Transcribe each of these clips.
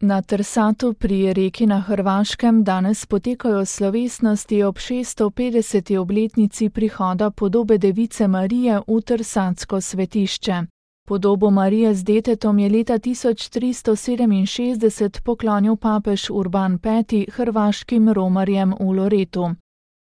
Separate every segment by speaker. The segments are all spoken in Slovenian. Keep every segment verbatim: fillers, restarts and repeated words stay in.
Speaker 1: Na Trsatu pri Reki na Hrvaškem danes potekajo slovesnosti ob šeststo petdeseti obletnici prihoda podobe Device Marije v Trsatsko svetišče. Podobo Marije z detetom je leta tisoč tristo sedeminšestdeset poklonil papež Urban peti hrvaškim romarjem v Loretu.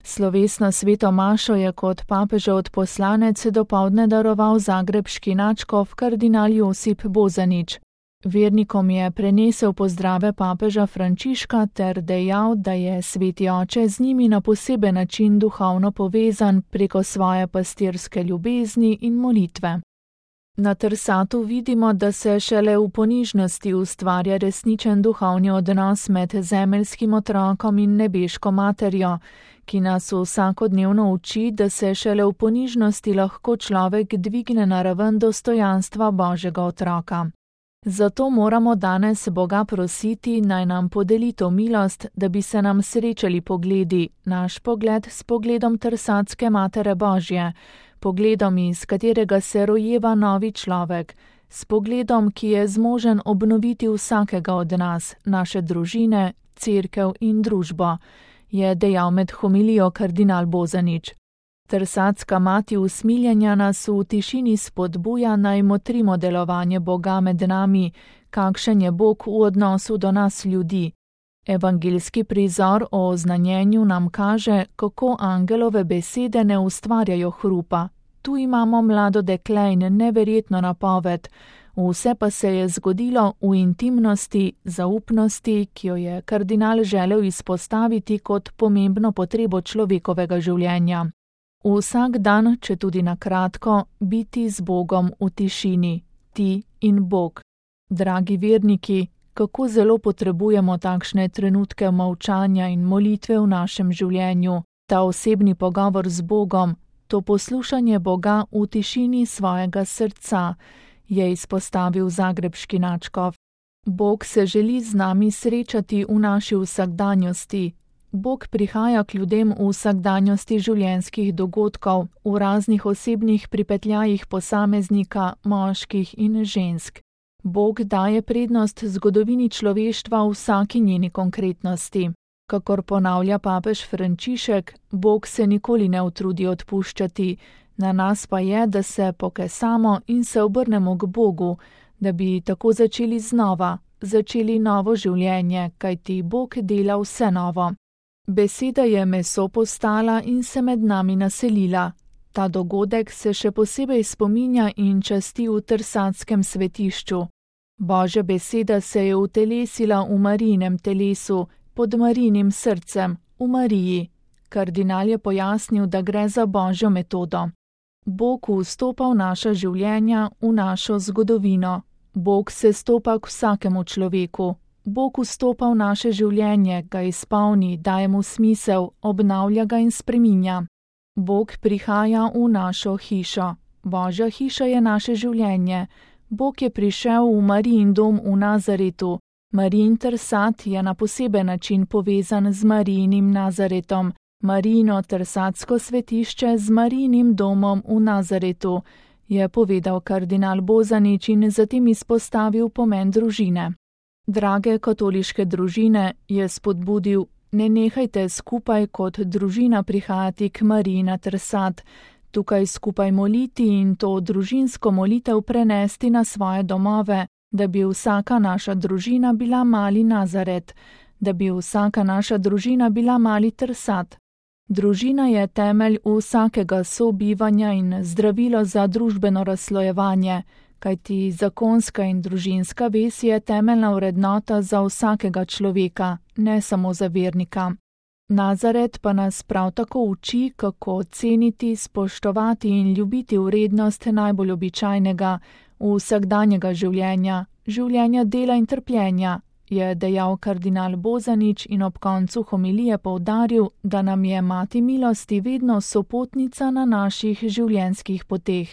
Speaker 1: Slovesno sveto mašo je kot papežev odposlanec dopoldne daroval zagrebški nadškof kardinal Josip Bozanić. Vernikom je prenesel pozdrave papeža Frančiška ter dejal, da je sveti oče z njimi na poseben način duhovno povezan preko svoje pastirske ljubezni in molitve. Na Trsatu vidimo, da se šele v ponižnosti ustvarja resničen duhovni odnos med zemeljskim otrokom in nebeško materjo, ki nas vsakodnevno uči, da se šele v ponižnosti lahko človek dvigne na raven dostojanstva Božjega otroka. Zato moramo danes Boga prositi, naj nam podeli to milost, da bi se nam srečali pogledi, naš pogled s pogledom Trsatske Matere Božje, pogledom, iz katerega se rojeva novi človek, s pogledom, ki je zmožen obnoviti vsakega od nas, naše družine, cerkev in družbo, je dejal med homilijo kardinal Bozanić. Trsatska mati usmiljenja nas v tišini spodbuja, naj motrimo delovanje Boga med nami, kakšen je Bog v odnosu do nas ljudi. Evangeljski prizor o oznanjenju nam kaže, kako angelove besede ne ustvarjajo hrupa. Tu imamo mlado dekle in neverjetno napoved, vse pa se je zgodilo v intimnosti, zaupnosti, ki jo je kardinal želel izpostaviti kot pomembno potrebo človekovega življenja. Vsak dan, če tudi na kratko, biti z Bogom v tišini, ti in Bog. Dragi verniki, kako zelo potrebujemo takšne trenutke molčanja in molitve v našem življenju, ta osebni pogovor z Bogom, to poslušanje Boga v tišini svojega srca, je izpostavil zagrebški nadškof. Bog se želi z nami srečati v naši vsakdanjosti. Bog prihaja k ljudem v vsakdanjosti življenjskih dogodkov, v raznih osebnih pripetljajih posameznika, moških in žensk. Bog daje prednost zgodovini človeštva v vsaki njeni konkretnosti. Kakor ponavlja papež Frančišek, Bog se nikoli ne utrudi odpuščati, na nas pa je, da se pokesamo in se obrnemo k Bogu, da bi tako začeli znova, začeli novo življenje, kajti Bog dela vse novo. Beseda je meso postala in se med nami naselila. Ta dogodek se še posebej spominja in časti v Trsatskem svetišču. Božja beseda se je utelesila v Marijinem telesu, pod Marijinim srcem, v Mariji. Kardinal je pojasnil, da gre za Božjo metodo. Bog vstopa v naša življenja, v našo zgodovino. Bog se stopa k vsakemu človeku. Bog vstopa v naše življenje, ga izpolni, daje mu smisel, obnavlja ga in spreminja. Bog prihaja v našo hišo. Božja hiša je naše življenje. Bog je prišel v Marijin dom v Nazaretu. Marijin Trsat je na poseben način povezan z Marijinim Nazaretom. Marijino Trsatsko svetišče z Marijinim domom v Nazaretu, je povedal kardinal Bozanić in zatem izpostavil pomen družine. Drage katoliške družine, je spodbudil, ne nehajte skupaj kot družina prihajati k Mariji na Trsat, tukaj skupaj moliti in to družinsko molitev prenesti na svoje domove, da bi vsaka naša družina bila mali Nazaret, da bi vsaka naša družina bila mali Trsat. Družina je temelj vsakega sobivanja in zdravilo za družbeno razslojevanje, kajti zakonska in družinska vez je temeljna vrednota za vsakega človeka, ne samo za vernika. Nazaret pa nas prav tako uči, kako ceniti, spoštovati in ljubiti vrednost najbolj običajnega, vsakdanjega življenja, življenja dela in trpljenja, je dejal kardinal Bozanić in ob koncu homilije poudaril, da nam je Mati milosti vedno sopotnica na naših življenjskih poteh.